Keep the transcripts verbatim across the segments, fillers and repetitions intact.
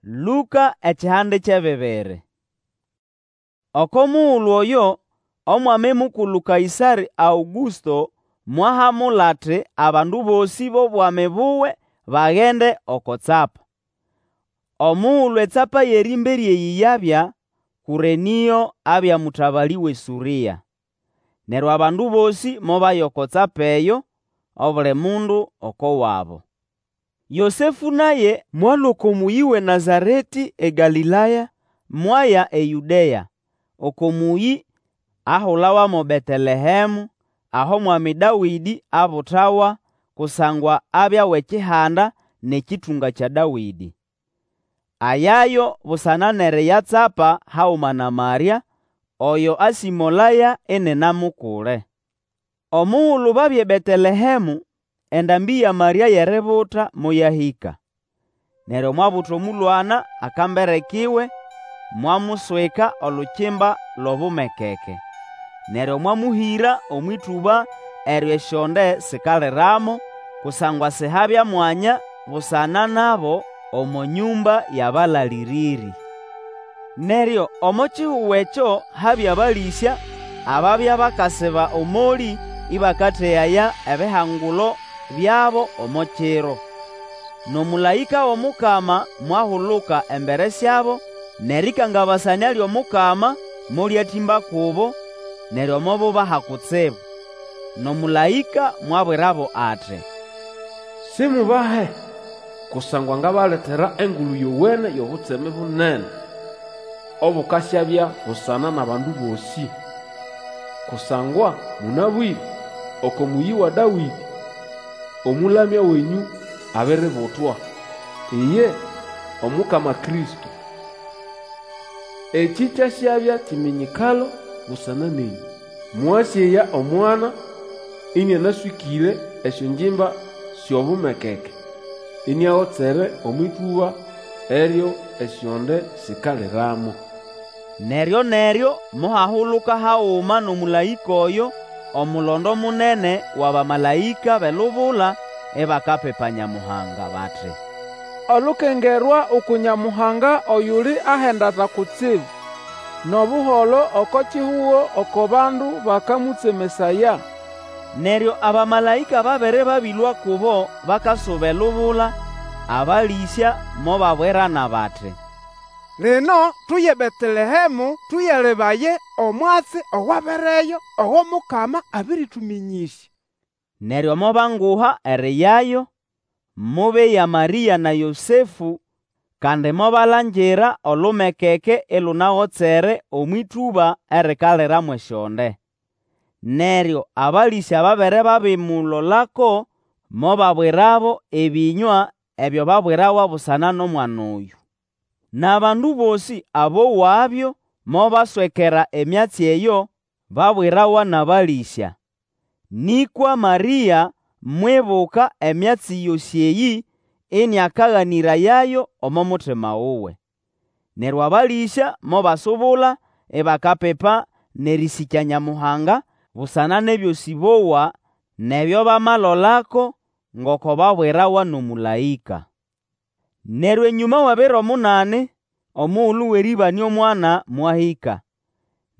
Lũka ekihande ky'ebibiri. Oko mugulu oyo Omwami Mukulu Kaĩsarĩ Aũgũsto mwahamula ati abandu bosĩ b'obwami buwe bagende oko tsapa. Omugulu etsapa y'erĩmbere eyĩ yabya, Kũrenĩo abya mũtabalĩ w'eSũrĩa. Neryo abandu bosĩ mobaya oko tsapa eyo, obuli mundu oko wabo. Yosefũ naye mwalũa oko mũyĩ w'eNazaretĩ eGalĩlaya, mwaya eYũdea, oko mũyĩ ahulawa mo Betelehemu, aho Mwami Dawĩdĩ abutawa, kusangwa abya w'ekihanda n'ekĩtũnga kya Dawĩdĩ. Ayayo busana n'eriyatsapa haguma na Marĩa, oyo asĩmolaya inina mukule. Omugulu babya eBetelehemu, endambĩ ya Marĩa y'eributa moyahĩka. Neryo mwabuta omũlwana akambere kiwe, mwamuswika olukimba l'obumekeke. Neryo mwamũhĩra omw'ĩtũba eryo esyonde sikaliramo, kusangwa Sihabya mwanya busana nabo omo nyũmba y'abalalĩrĩrĩ. Neryo omo kihugo ekyo habya abalĩsya ababya bakasiba omolĩ ĩbakategaya ebihangulo byabo omo kiro. N'omũlaĩka w'omukama mwahuluka embere syabo, n'erĩkangabasanĩa ly'omukama molyatĩmba kubo, neryo mobubaha kutsibu. N'omũlaĩka mwabwirabo ati, Simubahe, kusangwa ngabaletera Engulu Yowene y'obutseme bunene, obukasyabya busana n'abandu bosĩ. Kusangwa mũnabwĩre, oko mũyĩ wa Dawĩdĩ, Omũlamya wenyũ abiributwa, iye Omukama Kristo. Ekĩ kyasyabya kiminyikalo busana nenyũ: Mwasyeya omwana ĩnĩanaswĩkĩre esyongimba sy'obumekeke, iniagotsere omw'ĩtũba eryo esyonde sikaliramo. Neryo-neryo mohahuluka haguma n'omũlaĩka oyo omulondo munene w'abamalaĩka b'elubula ibakapipa Nyamuhanga bati, Olukengerwa uku Nyamuhanga oyuli ahendata kutsibu, N'obuholo oko kihugo oko bandu bakamũtsemesaya. Neryo abamalaĩka babere babĩlũa kubo bakasuba elubula, abalĩsya mobabwirana bati, Lino tuye eBetelehemu tũyalebaye omwatsi owabereyo, ogo Mukama abĩrĩtũmĩnyĩsya. Neryo mobanguha eriyayo, mobeya Marĩa na Yosefũ, kandi mobalangira olumekeke ilunagotsere omw'ĩtũba erikalira mw'esyonde. Neryo abalĩsya babere babimulolako, mobabwirabo ebĩnywa ebyo babwirawa busana n'omwana oyũ. N'abandu bosĩ abowabyo mobaswekera emyatsi eyo babwirawa n'abalĩsya. Nĩkwa Marĩa mwibuka emyatsi yosĩ eyĩ, ĩnĩakaganĩrayayo omo mutima wuwe. Neryo abalĩsya mobasubula, ibakapipa n'erĩsĩkya Nyamuhanga busana n'ebyosĩ bowa n'ebyo bamalolako, ngoko babwirawa n'omũlaĩka. Neryo enyũma w'ebiro munani, omugulu w'erĩbanĩa omwana mwahĩka.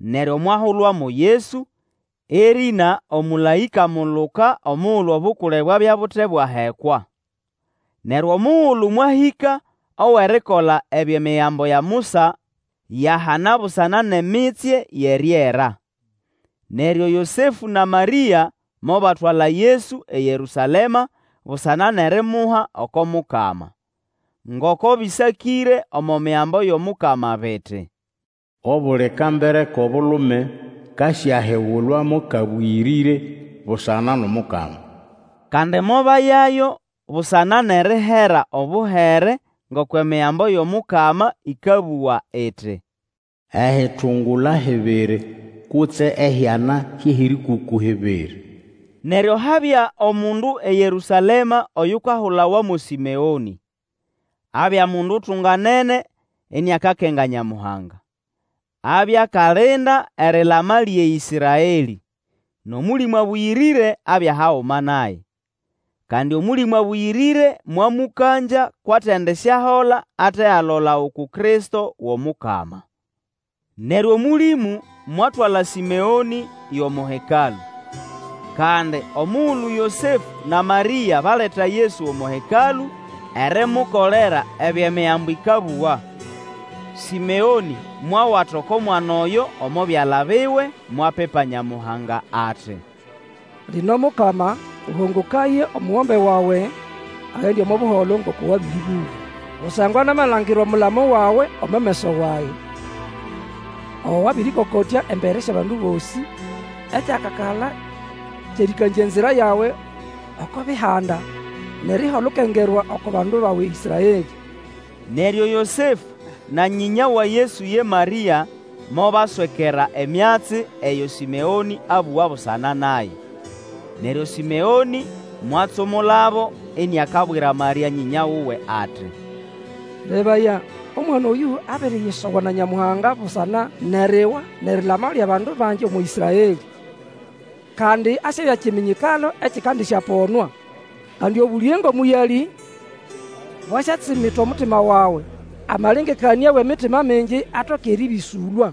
Neryo mwahulwa mo Yesu, erĩna omũlaĩka amuluka omugulu obukule bwabya bute bwahekwa. Neryo omugulu mwahĩka ow'erikola ebyo Emigambo ya Musa yahana busana n'emitsye y'eriera. Neryo Yosefũ na Marĩa mobatwala Yesu eYerũsalema busana n'erimuha oko Mukama. Ngoko bĩsakĩre omo Migambo y'omukama biti, Obuli kambere k'obulume kasyahigulwa mo kabũyĩrĩre busana n'omukama. Kandi mobayayo busana n'erihera obuhere ngoko Emigambo y'omukama ĩkabũga iti, Ehitungula hibiri kutse ehyana hy'ehĩrĩkũkũ hibiri. Neryo habya omundu eYerũsalema oyukahulawa mo Sĩmeonĩ. Abya mundu utunganene iniakakenga Nyamuhanga. Abya akalinda erilama ly'eĨsraelĩ, n'Omũlĩmũ Abũyĩrĩre abya haguma naye. Kandi Omũlĩmũ Abũyĩrĩre mwamũkangya kw'atendisyahola ate alola uku Kristo w'Omukama. Neryo Omũlĩmũ mwatwala Sĩmeonĩ y'omo Hekalũ. Kandi omugulu Yosefũ na Marĩa baleta Yesu omo Hekalũ erimukolera ebyo Emigambo ĩkabũga, Sĩmeonĩ mwawata oko mwana oyo omo byala biwe, mwapipa Nyamuhanga ati, Lino Mukama, ũhongokaye omugombe wawe agende omo buholo ngoko wabĩrĩbũga. Kusangwa namalangira omulamo wawe omo meso wage, Ogo wabĩrĩkokotya embere sy'abandu bosĩ, Ekyakakala ky'erĩkangya enzira yawe oko Bihanda, N'eriha olukengerwa oko bandu bawe Ĩsraelĩ. Neryo Yosefũ na nyĩnya wa Yesu ye Marĩa mobaswekera emyatsi eyo Sĩmeonĩ abũga busana naye. Neryo Sĩmeonĩ mwatsumulabo iniakabwira Marĩa nyĩnya wuwe ati, Lebaya, omwana oyũ abiriyisoga na Nyamuhanga busana n'eriwa n'erilama ly'abandu bangi omo Ĩsraelĩ. Kandi asyabya kiminyikalo ekikandisyaponwa. Kandi obũlĩge ng'omũyalĩ bwasyatsimita omutima wawe, amalengekanĩa w'emitima mingi atoke erĩbĩsũlwa.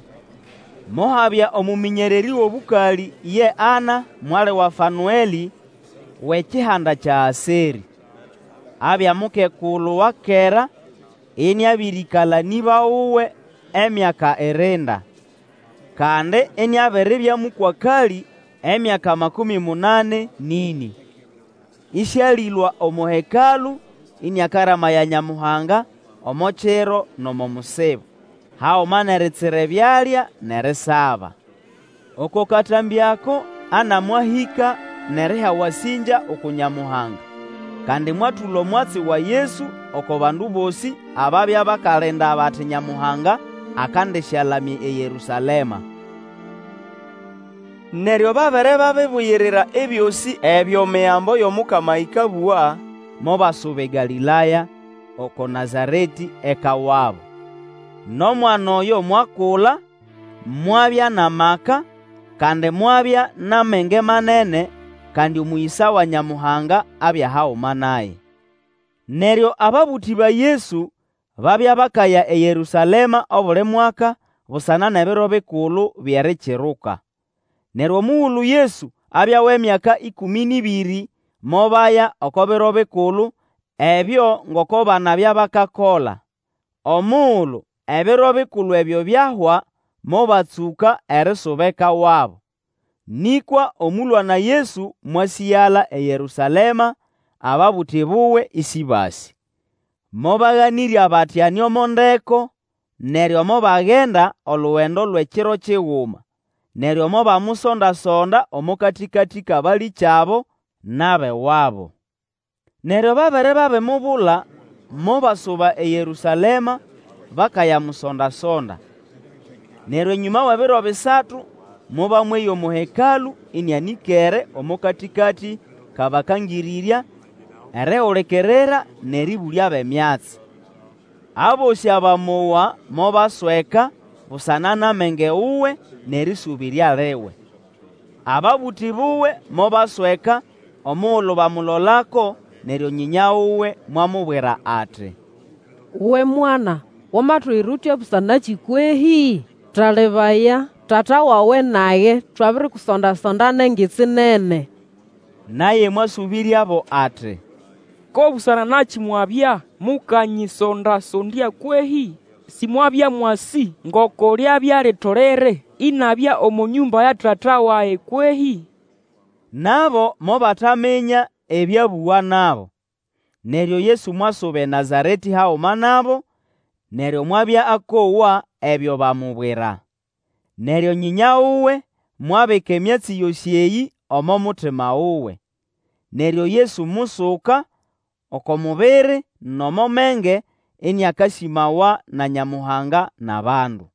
Mohabya omũmĩnyererĩ w'obũkalĩ ye Ana, mwali wa Fanũelĩ, w'ekihanda kya Aserĩ. Abya mukekulu wa kera, iniabĩrĩkala n'ĩba wuwe emyaka irinda, kandi iniabiribya mũkwakalĩ emyaka makũmĩ munani n'ĩnĩ. Ĩsĩalĩlũa omo Hekalũ iniakaramaya Nyamuhanga omo kiro n'omo musibo, haguma n'eritsira ebyalya n'erisaba. Oko katambĩ ako Ana mwahĩka n'eriha ewasĩngya uku Nyamuhanga, kandi mwatũla omwatsi wa Yesu oko bandu bosĩ ababya bakalinda bati Nyamuhanga akandĩsyalamya eYerũsalema. Neryo babere babibuyirira ebyosĩ ebyo Migambo y'Omukama ĩkabũga, mobasuba eGalĩlaya, oko Nazaretĩ eka wabo. N'omwana oyo mwakula, mwabya n'amaka, kandi mwabya n'amenge manene, kandi omũyĩsa wa Nyamuhanga abya haguma naye. Neryo ababũtĩ ba Yesu babya bakaya eYerũsalema obuli mwaka busana n'ebiro bikulu by'Erikiruka. Neryo omugulu Yesu abya w'emyaka ĩkũmĩ n'ĩbĩrĩ, mobaya oko biro bikulu ebyo ngoko banabya bakakola. Omugulu ebiro bikulu ebyo byahwa, mobatsũka erisuba eka wabo. Nĩkwa omũlwana Yesu mwasĩgala eYerũsalema, ababũtĩ buwe ĩsĩbasĩ. Mobaganĩrya bati ane omo ndeko, neryo mobagenda olugendo lw'ekiro kiguma, neryo mobamusonda-sonda omo katĩkatĩ k'abalĩkyabo n'ab'ewabo. Neryo babere babimubula, mobasuba eYerũsalema bakayamusonda-sonda. Neryo enyũma w'ebiro bisatu mobamweya omo Hekalũ ĩnĩanĩkere omo katĩkatĩ k'abakangĩrĩrya, erihulikirira n'erĩbũlyabo emyatsi. Abosĩ abamowa mobasweka busana n'amenge wuwe n'erĩsũbĩrya liwe. Ababũtĩ buwe mobasweka omugulu bamulolako, neryo nyĩnya wuwe mwamubwira ati, Uwe mwana, wamatuyira utya busanakĩ kwehĩ? Talebaya, tata wawe nage twabirikusonda-sonda n'engitsi nene. Naye mwasũbĩryabo ati, Ko busana nakĩ mwabya mukanyisonda-sondya kwehĩ? Sĩmwabya mwasĩ ngoko lyabya litolere inabya omo nyũmba ya Tata wage kwehĩ? Nabo mobataminya ebyo abũga nabo. Neryo Yesu mwasuba eNazaretĩ haguma nabo, neryo mwabya akowa ebyo bamubwira. Neryo nyĩnya wuwe mwabika emyatsi yosĩ eyĩ omo mutima wuwe. Neryo Yesu musuka oko mubiri n'omo menge, iniakasĩmawa na Nyamuhanga n'abandu.